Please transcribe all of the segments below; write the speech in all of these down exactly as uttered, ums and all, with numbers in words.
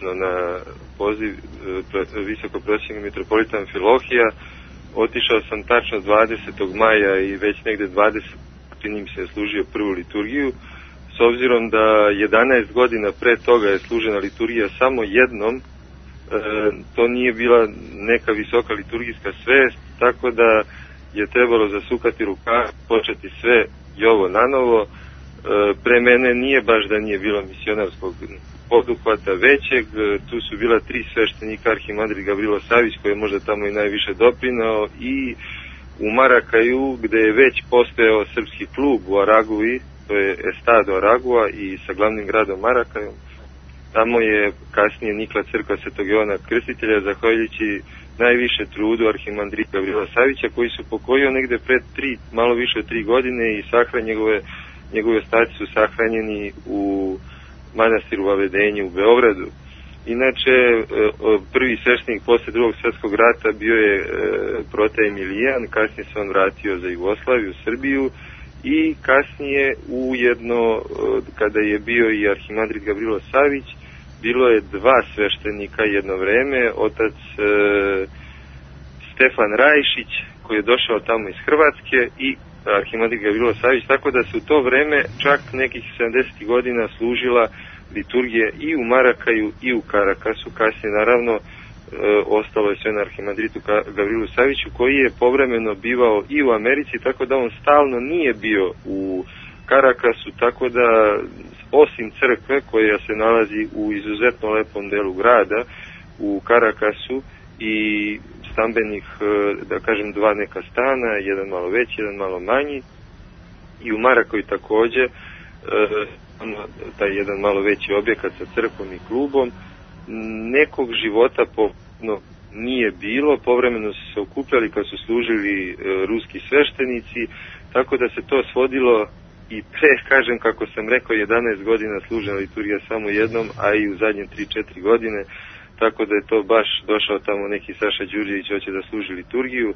na poziv visokoprosvjetnog mitropolita Amfilohija. Otišao sam tačno dvadesetog maja i već negde dvadesetog čini mi se služio prvu liturgiju. S obzirom da jedanaest godina pre toga je služena liturgija samo jednom, e, to nije bila neka visoka liturgijska svest, tako da je trebalo zasukati rukav, početi sve i ovo nanovo. E, pre mene nije baš da nije bilo misionarskog poduhvata većeg, tu su bila tri sveštenika, arhimandrit Gavrilo Savić koji je možda tamo i najviše doprinao, i u Marakaju gde je već postojao srpski klub u Aragui, to je Estado Aragua, i sa glavnim gradom Marakajom. Tamo je kasnije nikla crkva Svetog Jovana Krstitelja, zahvaljujući najviše trudu arhimandrita Gavrila Savića, koji su pokojio negde pred tri, malo više od tri godine i sahran njegove, njegove ostaci su sahranjeni u manastiru Vavedenje u Beogradu. Inače, prvi sveštenik posle drugog svjetskog rata bio je Protaj Emilijan, kasnije se on vratio za Jugoslaviju, Srbiju, i kasnije ujedno, kada je bio i arhimandrit Gavrilo Savić, bilo je dva sveštenika jedno vreme, otac e, Stefan Rajšić, koji je došao tamo iz Hrvatske, i arhimandrit Gavrilo Savić, tako da se u to vreme čak nekih sedamdesetih godina služila liturgija i u Marakaju i u Karakasu. Kasnije naravno e, ostalo je sve na arhimandritu Gavrilu Saviću, koji je povremeno bivao i u Americi, tako da on stalno nije bio u Karakasu, tako da osim crkve koja se nalazi u izuzetno lepom delu grada u Karakasu i stambenih, da kažem, dva neka stana, jedan malo veći, jedan malo manji, i u Marakaju takođe e, taj jedan malo veći objekat sa crkvom i klubom. Nekog života povremeno nije bilo, povremeno su se okupljali kad su služili e, ruski sveštenici, tako da se to svodilo i pre, kažem, kako sam rekao, jedanaest godina služena liturgija samo jednom, a i u zadnje tri četiri godine, tako da je to baš došao tamo neki Saša Đurđević, hoće da služi liturgiju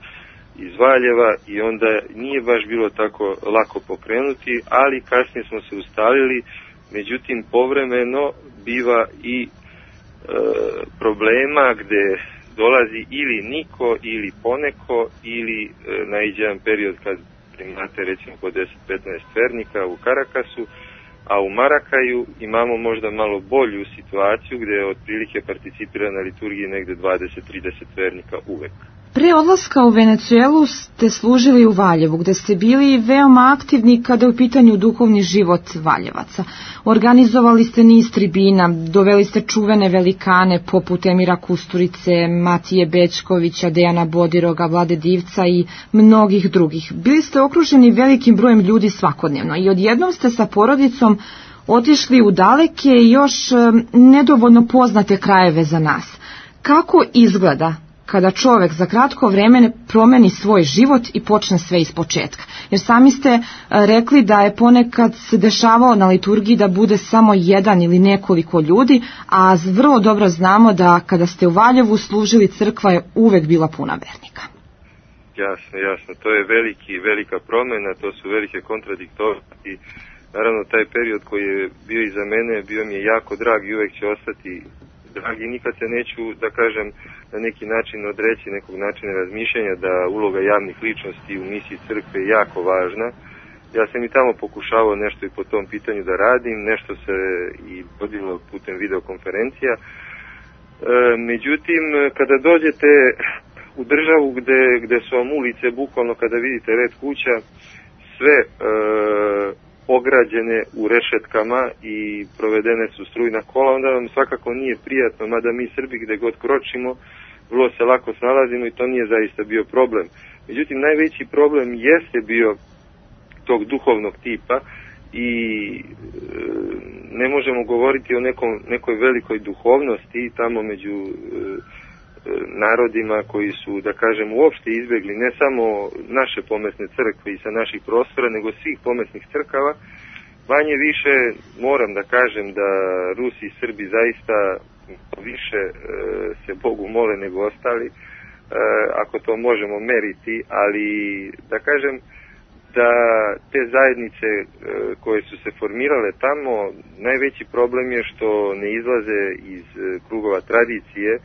iz Valjeva, i onda nije baš bilo tako lako pokrenuti, ali kasnije smo se ustalili. Međutim, povremeno biva i e, problema gde dolazi ili niko ili poneko, ili e, naiđe jedan period kad imate recimo po deset do petnaest vernika u Karakasu, a u Marakaju imamo možda malo bolju situaciju gde je otprilike participira na liturgiji negde dvadeset do trideset vernika uvek. Pre odlaska u Venecuelu ste služili u Valjevu, gde ste bili veoma aktivni kada je u pitanju duhovni život Valjevaca. Organizovali ste niz tribina, doveli ste čuvene velikane poput Emira Kusturice, Matije Bećkovića, Dejana Bodiroga, Vlade Divca i mnogih drugih. Bili ste okruženi velikim brojem ljudi svakodnevno i odjednom ste sa porodicom otišli u daleke i još nedovoljno poznate krajeve za nas. Kako izgleda kada čovek za kratko vreme promeni svoj život i počne sve iz početka? Jer sami ste rekli da je ponekad se dešavao na liturgiji da bude samo jedan ili nekoliko ljudi, a vrlo dobro znamo da kada ste u Valjevu služili, crkva je uvek bila puna vernika. Jasno, jasno. To je veliki, velika promena, to su velike kontradiktornosti. Naravno, taj period koji je bio iza mene, bio mi je jako drag i uvek će ostati dragi. Nikad se neću, da kažem, na neki način odreći nekog načina razmišljanja da uloga javnih ličnosti u misiji crkve je jako važna. Ja sam i tamo pokušavao nešto i po tom pitanju da radim, nešto se i vodilo putem videokonferencija. E, međutim, kada dođete u državu gde, gde su vam ulice, bukvalno kada vidite red kuća, sve e, ograđene u rešetkama i provedene su strujna kola, onda vam svakako nije prijatno, mada mi Srbi gde god kročimo, vrlo se lako snalazimo i to nije zaista bio problem. Međutim, najveći problem jeste bio tog duhovnog tipa i e, ne možemo govoriti o nekom, nekoj velikoj duhovnosti tamo među e, narodima koji su, da kažem, uopšte izbegli ne samo naše pomesne crkve i sa naših prostora, nego svih pomesnih crkava. Manje više moram da kažem da Rusi i Srbi zaista više e, se Bogu mole nego ostali, e, ako to možemo meriti, ali da kažem, da te zajednice e, koje su se formirale tamo, najveći problem je što ne izlaze iz e, krugova tradicije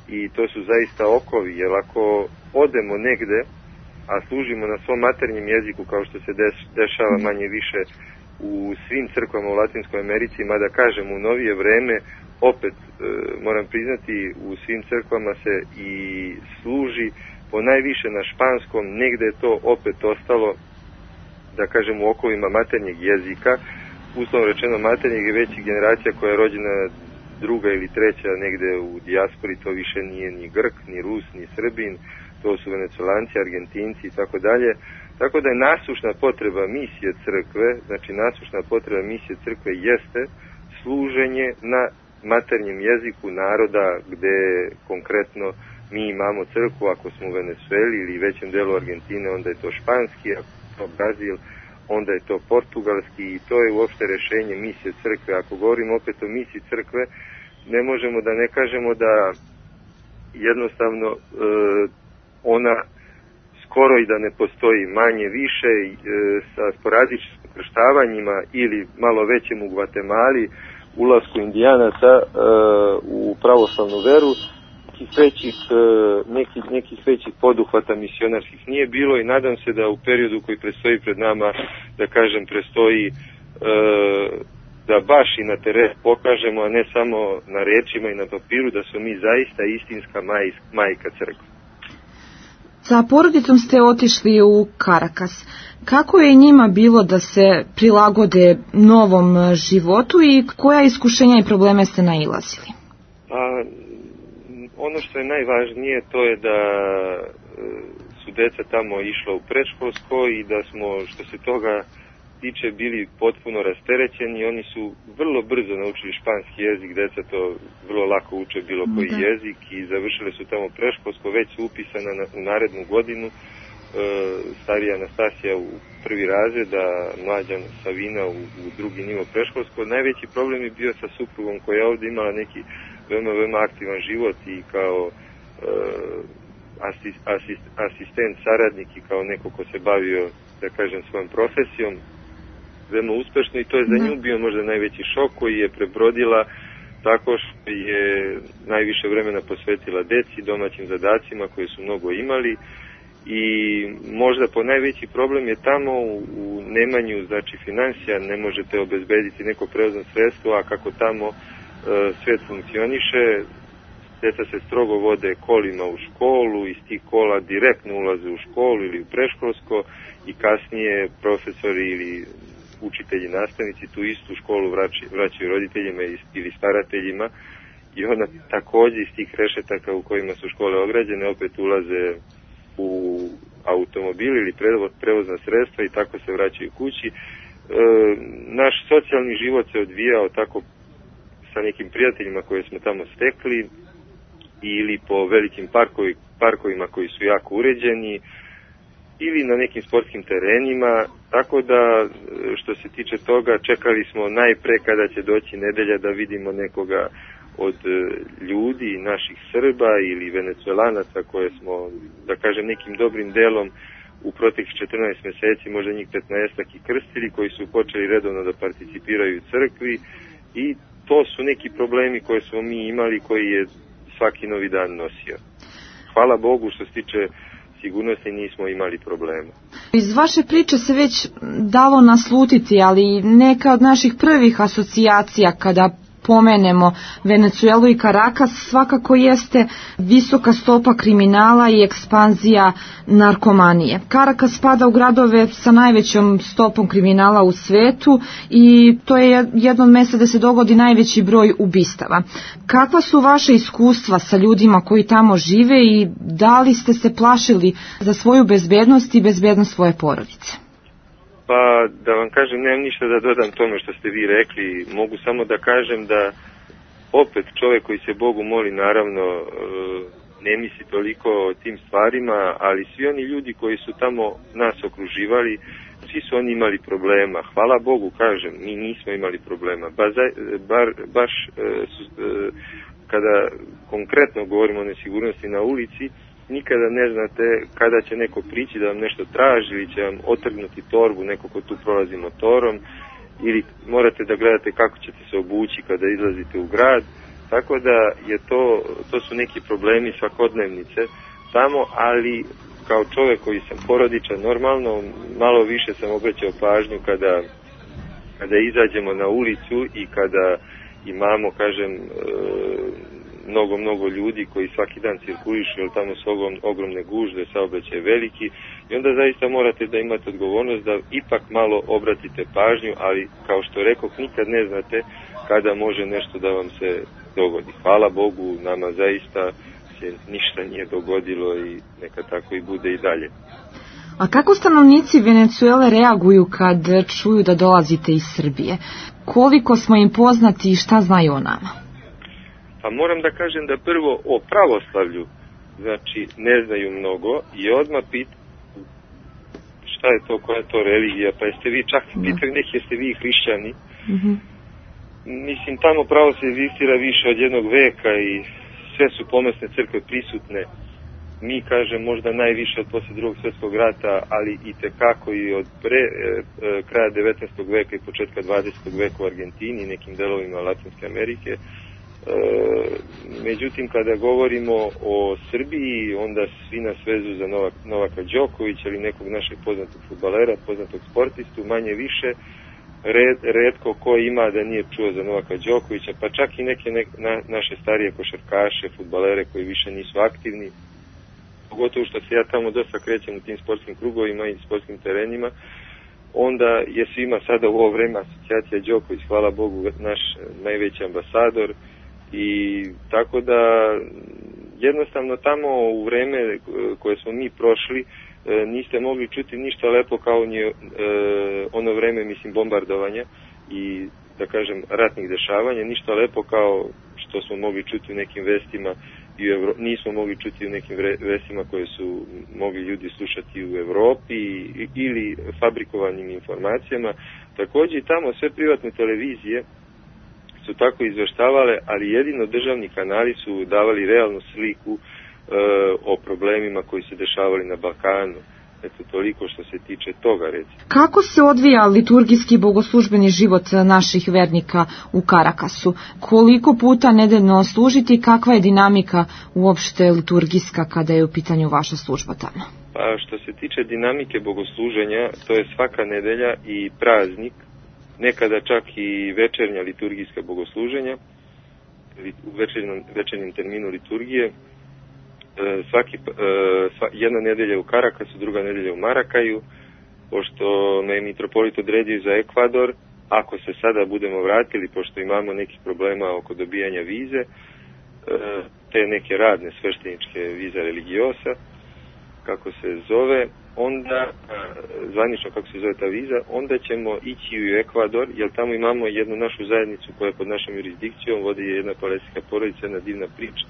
i to su zaista okovi, jer ako odemo negde, a služimo na svom maternjem jeziku kao što se deš, dešava manje više u svim crkvama u Latinskoj Americi, mada kažem u novije vreme, opet e, moram priznati, u svim crkvama se i služi po najviše na španskom, negde je to opet ostalo, da kažem, u okovima maternjeg jezika, uslovno rečeno maternjeg je već generacija koja je rođena druga ili treća negde u dijaspori, to više nije ni Grk, ni Rus, ni Srbin, to su Venecolanci, Argentinci i tako dalje. Tako da je nasušna potreba misije crkve, znači nasušna potreba misije crkve jeste služenje na maternjem jeziku naroda gde konkretno mi imamo crkvu, ako smo u Venezueli ili većem delu Argentine, onda je to španski, ako je to Brazil, onda je to portugalski i to je uopšte rešenje misije crkve. Ako govorimo opet o misiji crkve, ne možemo da ne kažemo da jednostavno e, ona skoro i da ne postoji, manje više e, sa sporadičnim krštavanjima ili malo većem u Gvatemali, ulasku indijanaca e, u pravoslavnu veru, nekih većih, e, nekih, nekih većih poduhvata misionarskih nije bilo i nadam se da u periodu koji predstoji pred nama, da kažem, predstoji e, da baš i na teren pokažemo, a ne samo na rečima i na papiru, da smo mi zaista istinska maj, majka crkva. Sa porodicom ste otišli u Karakas. Kako je njima bilo da se prilagode novom životu i koja iskušenja i probleme ste nailazili? A, ono što je najvažnije to je da su deca tamo išla u predškolsko i da smo, što se toga tiče, bili potpuno rasterećeni. Oni su vrlo brzo naučili španski jezik, deca to vrlo lako uče bilo koji da. jezik i završili su tamo predškolsko, već su upisana na, u narednu godinu. E, starija Anastasija u prvi razred, a mlađa Savina u, u drugi nivo predškolsko. Najveći problem je bio sa suprugom koja je ovdje imala neki veoma, veoma aktivan život i kao e, asist, asist, asistent, saradnik i kao neko ko se bavio, da kažem, svojom profesijom veoma uspešno i to je za nju bio možda najveći šok koji je prebrodila tako što je najviše vremena posvetila deci, domaćim zadacima koje su mnogo imali i možda po najveći problem je tamo u, u nemanju, znači finansija, ne možete obezbediti neko prevozno sredstvo, a kako tamo e, svet funkcioniše, deca se strogo vode kolima u školu, iz tih kola direktno ulaze u školu ili u preškolsko i kasnije profesori ili učitelji, nastavnici tu istu školu vraćaju, vraćaju roditeljima ili starateljima i onda također iz tih rešetaka u kojima su škole ograđene opet ulaze u automobil ili prevozna sredstva i tako se vraćaju kući. E, naš socijalni život se odvijao tako sa nekim prijateljima koje smo tamo stekli ili po velikim parkovi, parkovima koji su jako uređeni ili na nekim sportskim terenima, tako da što se tiče toga čekali smo najpre kada će doći nedelja da vidimo nekoga od ljudi, naših Srba ili Venecuelanaca koje smo, da kažem, nekim dobrim delom u proteklih četrnaest meseci, možda njih petnaestak i krstili, koji su počeli redovno da participiraju u crkvi i to su neki problemi koje smo mi imali, koji je svaki novi dan nosio. Hvala Bogu što se tiče sigurnosti nismo imali problema. Iz vaše priče se već dalo naslutiti, ali neka od naših prvih asocijacija kada pomenemo Venecuelu i Karakas svakako jeste visoka stopa kriminala i ekspanzija narkomanije. Karakas spada u gradove sa najvećom stopom kriminala u svetu i to je jedno od mjesta gdje se dogodi najveći broj ubistava. Kakva su vaše iskustva sa ljudima koji tamo žive i da li ste se plašili za svoju bezbednost i bezbednost svoje porodice? Pa da vam kažem, nemam ništa da dodam tome što ste vi rekli, mogu samo da kažem da opet čovjek koji se Bogu moli naravno ne misli toliko o tim stvarima, ali svi oni ljudi koji su tamo nas okruživali, svi su oni imali problema. Hvala Bogu, kažem, mi nismo imali problema. Ba, bar, baš kada konkretno govorimo o nesigurnosti na ulici, nikada ne znate kada će neko prići da vam nešto traži ili će vam otrgnuti torbu neko ko tu prolazi motorom, ili morate da gledate kako ćete se obući kada izlazite u grad, tako da je to, to su neki problemi svakodnevnice tamo, ali kao čovjek koji sam porodičan, normalno malo više sam obraćao pažnju kada, kada izađemo na ulicu i kada imamo, kažem, e, mnogo, mnogo ljudi koji svaki dan cirkulišu, jer tamo su ogromne gužve, saobraćaj veliki, i onda zaista morate da imate odgovornost da ipak malo obratite pažnju, ali kao što rekoh, nikad ne znate kada može nešto da vam se dogodi. Hvala Bogu, nama zaista se ništa nije dogodilo i neka tako i bude i dalje. A kako stanovnici Venecuele reaguju kad čuju da dolazite iz Srbije? Koliko smo im poznati i šta znaju o nama? Pa moram da kažem da prvo o pravoslavlju, znači ne znaju mnogo, i odmah pit šta je to, koja je to religija, pa jeste vi, čak pitaju neki, jeste vi hrišćani? Mm-hmm. Mislim, tamo pravoslavlje egzistira više od jednog veka i sve su pomesne crkve prisutne. Mi, kažem, možda najviše od posle drugog svjetskog rata, ali i tekako i od pre, e, e, kraja devetnaestog veka i početka dvadesetog veka u Argentini i nekim delovima Latinske Amerike. E, međutim, kada govorimo o Srbiji, onda svi nas vezu za Novak, Novaka Đokovića ili nekog našeg poznatog fudbalera, poznatog sportistu, manje više. Red, redko ko ima da nije čuo za Novaka Đokovića, pa čak i neke ne, na, naše starije košarkaše, fudbalere koji više nisu aktivni. Pogotovo što se ja tamo dosta krećem u tim sportskim krugovima i sportskim terenima, onda je svima sada u ovo vreme asocijacija Đoković, hvala Bogu, naš najveći ambasador, i tako da jednostavno tamo u vreme koje smo mi prošli niste mogli čuti ništa lepo kao nje, e, ono vreme, mislim, bombardovanja i, da kažem, ratnih dešavanja, ništa lepo kao što smo mogli čuti u nekim vestima i u Evro... nismo mogli čuti u nekim vestima koje su mogli ljudi slušati u Evropi ili fabrikovanim informacijama. Također i tamo sve privatne televizije su tako izveštavale, ali jedino državni kanali su davali realnu sliku o problemima koji se dešavali na Balkanu. Eto, toliko što se tiče toga, recimo. Kako se odvija liturgijski bogoslužbeni život naših vernika u Karakasu? Koliko puta nedeljno služiti i kakva je dinamika uopšte liturgijska kada je u pitanju vaša služba tamo? Pa što se tiče dinamike bogosluženja, to je svaka nedelja i praznik, nekada čak i večernja liturgijska bogosluženja, u večernjem, večernjem terminu liturgije. Svaki, sva, jedna nedelja u Karakasu, druga nedelja u Marakaju, pošto me je mitropolit odredio za Ekvador, ako se sada budemo vratili, pošto imamo nekih problema oko dobijanja vize, te neke radne svešteničke viza religiosa, kako se zove, onda, zvanično kako se zove ta viza, onda ćemo ići u Ekvador, jer tamo imamo jednu našu zajednicu koja je pod našom jurisdikcijom, vodi je jedna palestinska porodica, jedna divna priča.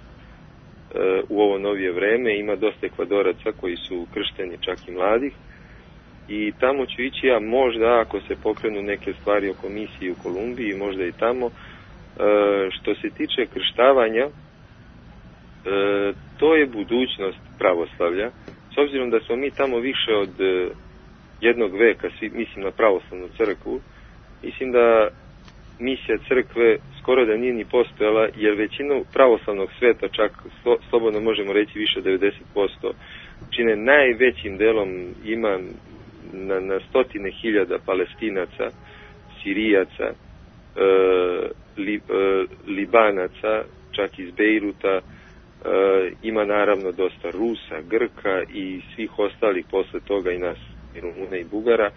U ovo novije vreme ima dosta Ekvadoraca koji su kršteni, čak i mladih, i tamo ću ići ja možda ako se pokrenu neke stvari o komisiji u Kolumbiji, možda i tamo. Što se tiče krštavanja, to je budućnost pravoslavlja, s obzirom da smo mi tamo više od jednog veka, mislim na pravoslavnu crkvu, mislim da misija crkve skoro da nije ni postojala, jer većinu pravoslavnog sveta, čak slobodno možemo reći više od devedeset posto, čine najvećim delom ima na, na stotine hiljada Palestinaca, Sirijaca, e, li, e, Libanaca, čak iz Bejruta, e, ima naravno dosta Rusa, Grka i svih ostalih posle toga i nas, i Rumuna i Bugara,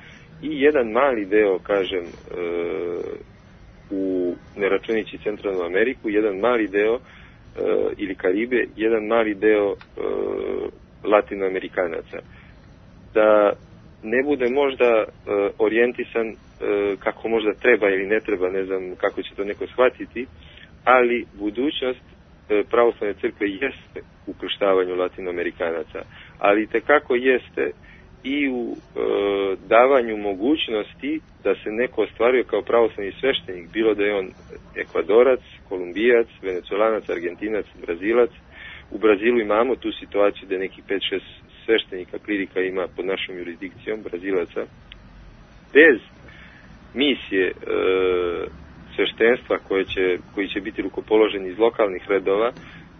i jedan mali deo, kažem, e, u, ne računići Centralnu Ameriku, jedan mali deo, e, ili Karibe, jedan mali deo e, Latinoamerikanaca. Da ne bude možda e, orijentisan e, kako možda treba ili ne treba, ne znam kako će to neko shvatiti, ali budućnost e, pravoslavne crkve jeste u krštavanju Latinoamerikanaca, ali tekako jeste i u e, davanju mogućnosti da se neko ostvaruje kao pravoslavni sveštenik, bilo da je on Ekvadorac, Kolumbijac, Venecuelanac, Argentinac, Brazilac, U Brazilu imamo tu situaciju da neki pet šest sveštenika klirika ima pod našom jurisdikcijom Brazilaca. Bez misije e, sveštenstva koje će, koji će biti rukopoloženi iz lokalnih redova,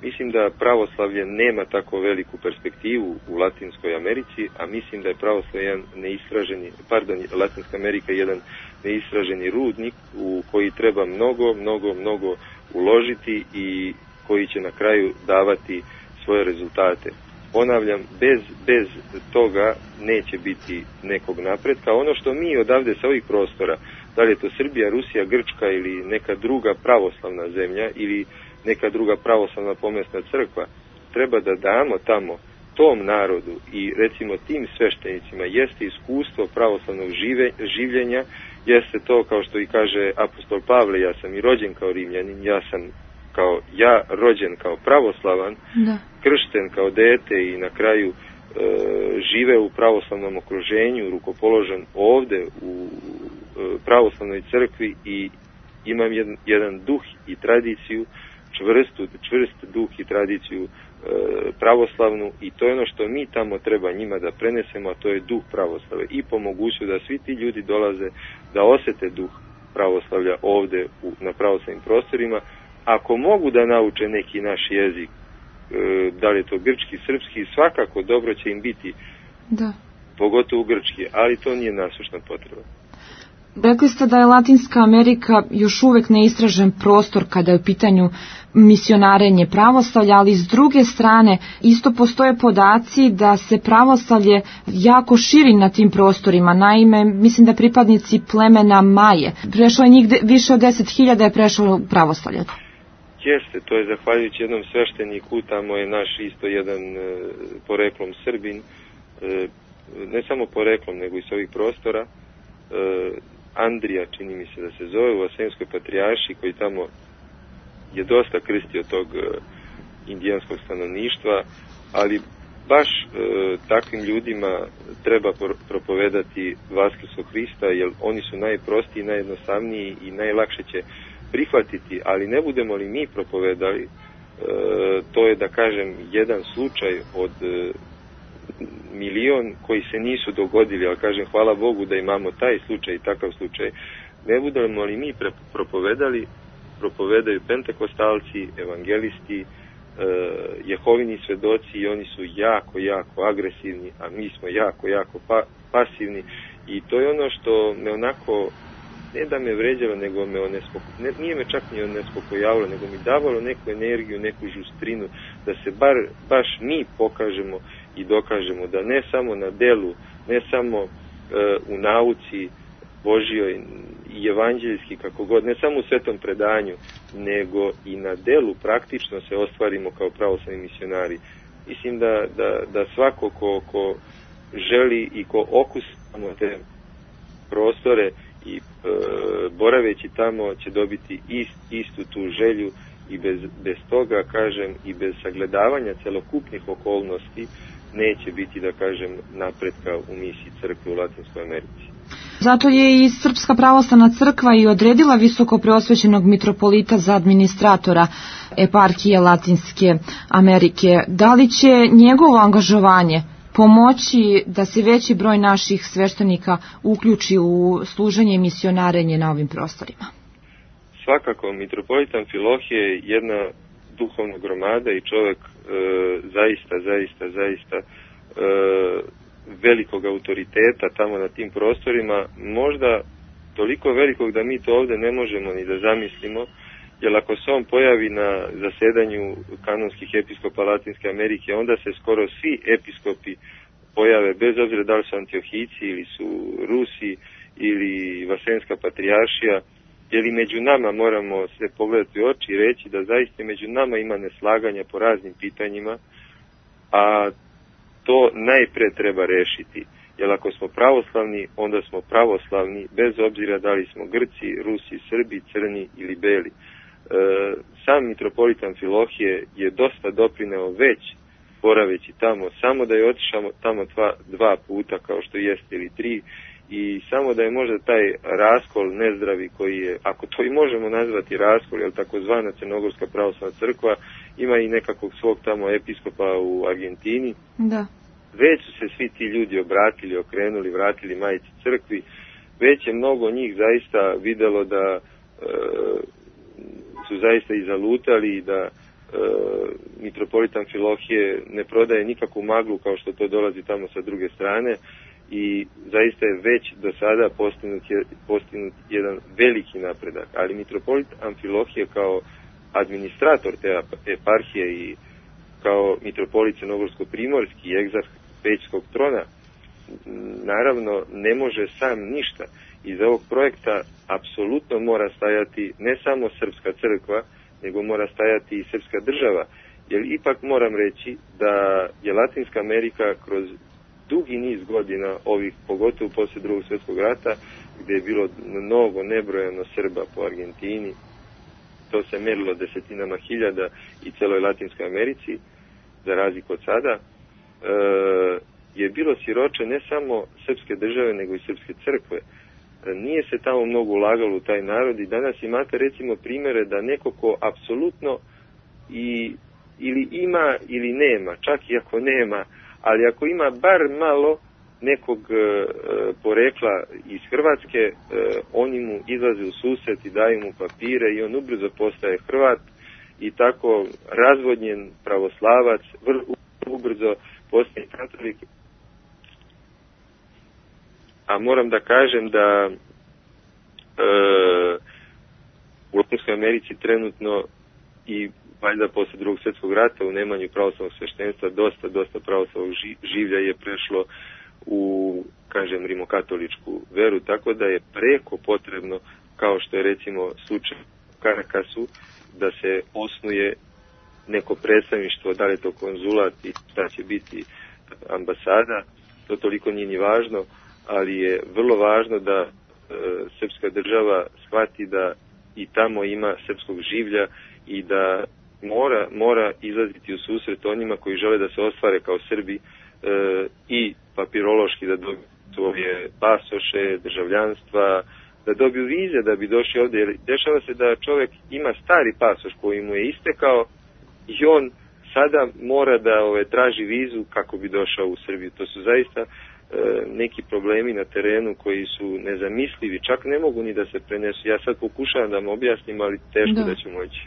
mislim da pravoslavlje nema tako veliku perspektivu u Latinskoj Americi, a mislim da je pravoslavlje jedan neistraženi, pardon, Latinska Amerika je jedan neistraženi rudnik u koji treba mnogo, mnogo, mnogo uložiti i koji će na kraju davati svoje rezultate. Ponavljam, bez, bez toga neće biti nekog napretka. Ono što mi odavde sa ovih prostora, da li je to Srbija, Rusija, Grčka ili neka druga pravoslavna zemlja ili neka druga pravoslavna pomesna crkva, treba da damo tamo tom narodu i recimo tim sveštenicima jeste iskustvo pravoslavnog žive, življenja, jeste to kao što i kaže apostol Pavle, ja sam i rođen kao Rimljanin, ja sam kao ja rođen kao pravoslavan, da. Kršten kao dete i na kraju e, žive u pravoslavnom okruženju, rukopoložen ovde u e, pravoslavnoj crkvi i imam jedan, jedan duh i tradiciju, čvrstu, čvrst duh i tradiciju e, pravoslavnu i to je ono što mi tamo treba njima da prenesemo, a to je duh pravoslavlja i po moguću da svi ti ljudi dolaze da osete duh pravoslavlja ovde u, na pravoslavnim prostorima. Ako mogu da nauče neki naš jezik, e, da li je to grčki, srpski, svakako dobro će im biti, da. Pogotovo grčki, ali to nije nasušna potreba. Rekli ste da je Latinska Amerika još uvek neistražen prostor kada je u pitanju misionarenje pravoslavlja, ali s druge strane isto postoje podaci da se pravoslavlje jako širi na tim prostorima. Naime, mislim da pripadnici plemena Maje, prešlo je njih de, više od deset hiljada je prešlo u pravoslavlje. Jeste, to je zahvaljujući jednom svešteniku, tamo je naš isto jedan e, poreklom Srbin, e, ne samo poreklom, nego i s ovih prostora, e, Andrija, čini mi se da se zove, u Vasenskoj patrijaršiji, koji tamo je dosta krstio tog e, indijanskog stanovništva, ali baš e, takvim ljudima treba propovedati Vaskrskog Hrista, jer oni su najprostiji, najjednostavniji i najlakše će prihvatiti, ali ne budemo li mi propovedali, e, to je da kažem jedan slučaj od e, milion koji se nisu dogodili, ali kažem hvala Bogu da imamo taj slučaj i takav slučaj. Ne budemo li mi pre, propovedali, propovedaju pentekostalci, evangelisti, e, Jehovini svedoci i oni su jako, jako agresivni, a mi smo jako, jako pa, pasivni i to je ono što me onako, ne da me vređalo, nego me onespoko, ne, nije me čak ni onespokojavalo, nego mi davalo neku energiju, neku žustrinu, da se bar, baš mi pokažemo i dokažemo da ne samo na delu, ne samo e, u nauci Božjoj i evanđeljski, kako god, ne samo u svetom predanju, nego i na delu praktično se ostvarimo kao pravoslavni misionari. Mislim da, da, da svako ko, ko želi i ko okusamo te prostore i e, boraveći tamo će dobiti ist, istu tu želju i bez, bez toga, kažem, i bez sagledavanja celokupnih okolnosti neće biti, da kažem, napretka u misiji crkve u Latinskoj Americi. Zato je i Srpska pravoslavna crkva i odredila visoko preosvećenog mitropolita za administratora eparhije Latinske Amerike. Da li će njegovo angažovanje pomoći da se veći broj naših sveštenika uključi u služenje i misionarenje na ovim prostorima? Svakako, mitropolit Amfilohije je jedna duhovna gromada i čovjek e, zaista, zaista, zaista e, velikog autoriteta tamo na tim prostorima, možda toliko velikog da mi to ovde ne možemo ni da zamislimo, jer ako se on pojavi na zasedanju kanonskih episkopa Latinske Amerike, onda se skoro svi episkopi pojave, bez obzira da li su Antiohijci ili su Rusi ili Vasenska patrijaršija, jer i među nama moramo se pogledati u oči i reći da zaista među nama ima neslaganja po raznim pitanjima, a to najpre treba rešiti. Jer ako smo pravoslavni, onda smo pravoslavni, bez obzira da li smo Grci, Rusi, Srbi, Crni ili Beli. E, sam mitropolit Amfilohije je dosta doprineo već boraveći tamo, samo da je otišao tamo dva, dva puta kao što jeste ili tri, i samo da je možda taj raskol nezdravi koji je, ako to i možemo nazvati raskol, jer takozvana Crnogorska pravoslavna crkva ima i nekakvog svog tamo episkopa u Argentini. Da. Već su se svi ti ljudi obratili, okrenuli, vratili Majici crkvi, već je mnogo njih zaista videlo da e, su zaista i zalutali i da e, mitropolit Amfilohije ne prodaje nikakvu maglu kao što to dolazi tamo sa druge strane i zaista je već do sada postignut, je, postignut jedan veliki napredak, ali mitropolit Amfilohije kao administrator te eparhije i kao mitropolit Crnogorsko-primorski i egzarh Pećskog trona naravno ne može sam ništa. Iz ovog projekta apsolutno mora stajati ne samo srpska crkva, nego mora stajati i srpska država, jer ipak moram reći da je Latinska Amerika kroz dugi niz godina, ovih pogotovo poslije drugog svjetskog rata, gdje je bilo mnogo nebrojeno Srba po Argentini, to se merilo desetinama hiljada i celoj Latinskoj Americi, za razliku od sada, e, je bilo siroče ne samo srpske države, nego i srpske crkve. E, nije se tamo mnogo ulagalo u taj narod i danas imate recimo primjere da neko ko apsolutno i, ili ima ili nema, čak i ako nema, ali ako ima bar malo nekog e, porekla iz Hrvatske, e, oni mu izlaze u susret i daju mu papire i on ubrzo postaje Hrvat i tako razvodnjen pravoslavac vrlo ubrzo postaje katolik. A moram da kažem da e, u Latinskoj Americi trenutno i valjda posle drugog svjetskog rata u nemanju pravoslavnog sveštenstva dosta, dosta pravoslavnog življa je prešlo u, kažem, rimokatoličku veru, tako da je preko potrebno, kao što je recimo slučaj u Karakasu, da se osnuje neko predstavništvo, da li je to konzulat i šta će biti ambasada, to toliko nije ni važno, ali je vrlo važno da e, srpska država shvati da i tamo ima srpskog življa i da mora, mora izlaziti u susret onima koji žele da se ostvare kao Srbi e, i papirološki da dobiju svoje pasoše, državljanstva, da dobiju vize da bi došli ovdje. Jer dešava se da čovjek ima stari pasoš koji mu je istekao i on sada mora da ove, traži vizu kako bi došao u Srbiju. To su zaista e, neki problemi na terenu koji su nezamislivi, čak ne mogu ni da se prenesu. Ja sad pokušavam da vam objasnim, ali teško da, da ću moći.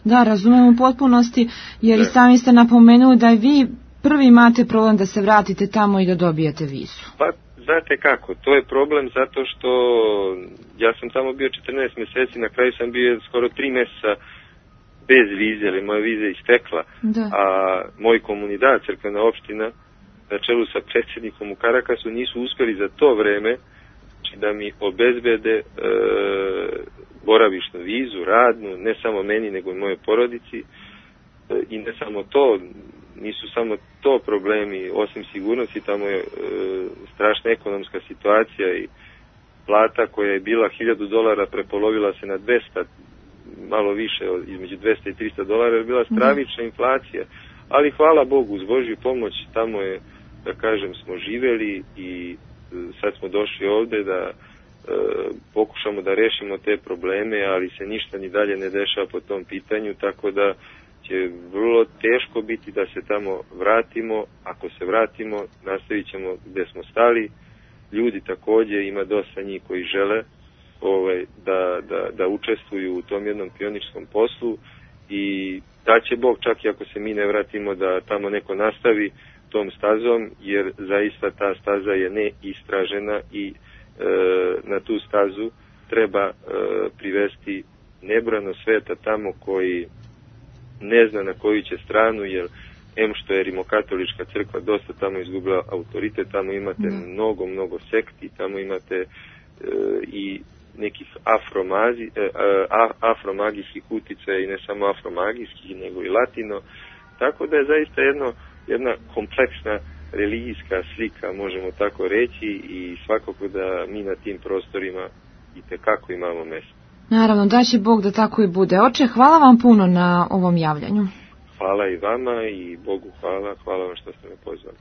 Da, razumijem u potpunosti, jer da. I sami ste napomenuli da vi prvi imate problem da se vratite tamo i da dobijete vizu. Pa, znate kako, to je problem zato što ja sam tamo bio četrnaest mjeseci, na kraju sam bio skoro tri mjeseca bez vize, ali moja viza je istekla, da. A moj komunidad, crkvena opština, na čelu sa predsjednikom u Karakasu, nisu uspjeli za to vreme da mi obezbede e, boravišnu vizu, radnu, ne samo meni, nego i moje porodici. E, I ne samo to, nisu samo to problemi, osim sigurnosti, tamo je e, strašna ekonomska situacija i plata koja je bila hiljadu dolara prepolovila se na dvesta, malo više, između dvesta i trista dolara, je bila stravična inflacija. Ali hvala Bogu, uz Božju pomoć tamo je, da kažem, smo živeli i sad smo došli ovdje da e, pokušamo da rešimo te probleme, ali se ništa ni dalje ne dešava po tom pitanju, tako da će vrlo teško biti da se tamo vratimo. Ako se vratimo, nastavit ćemo gdje smo stali. Ljudi također, ima dosta njih koji žele ovaj, da, da, da učestvuju u tom jednom pionirskom poslu i da će Bog, čak i ako se mi ne vratimo, da tamo neko nastavi tom stazom, jer zaista ta staza je neistražena i e, na tu stazu treba e, privesti nebrojano sveta tamo koji ne zna na koju će stranu, jer em što je rimokatolička crkva dosta tamo izgubila autoritet, tamo imate mm. mnogo, mnogo sekti, tamo imate e, i nekih afromazi, e, a, afromagijskih utjecaja i ne samo afromagijskih, nego i latino, tako da je zaista jedno, jedna kompleksna religijska slika, možemo tako reći, i svakako da mi na tim prostorima itekako imamo mjesto. Naravno, da će Bog da tako i bude. Oče, hvala vam puno na ovom javljanju. Hvala i vama i Bogu hvala, hvala vam što ste me pozvali.